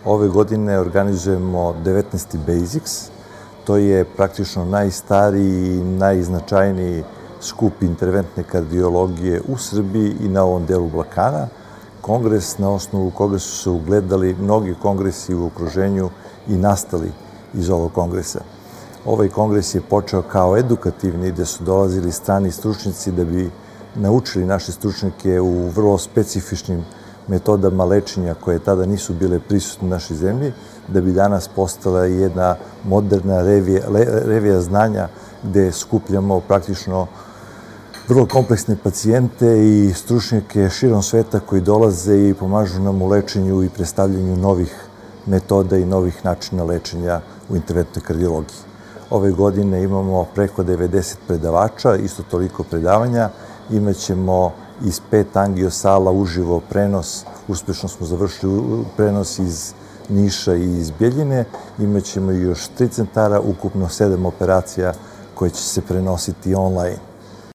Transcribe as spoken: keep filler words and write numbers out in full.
Ove godine organizujemo devetnaesti Basics. To je praktično najstariji i najznačajniji skup interventne kardiologije u Srbiji i na ovom delu Balkana. Kongres na osnovu koga su se ugledali mnogi kongresi u okruženju i nastali iz ovog kongresa. Ovaj kongres je počeo kao edukativni, gde su dolazili strani stručnjaci da bi naučili naše stručnjake u vrlo specifičnim metodama lečenja koje tada nisu bile prisutne u našoj zemlji, da bi danas postala jedna moderna revija, revija znanja gde skupljamo praktično vrlo kompleksne pacijente i stručnjake širom sveta koji dolaze i pomažu nam u lečenju i predstavljanju novih metoda i novih načina lečenja u interventnoj kardiologiji. Ove godine imamo preko devedeset predavača, isto toliko predavanja. Imaćemo iz pet angiosala uživo prenos, uspešno smo završili prenos iz Niša i iz Bjeljine. Imaćemo još tri centara, ukupno sedam operacija koje će se prenositi online.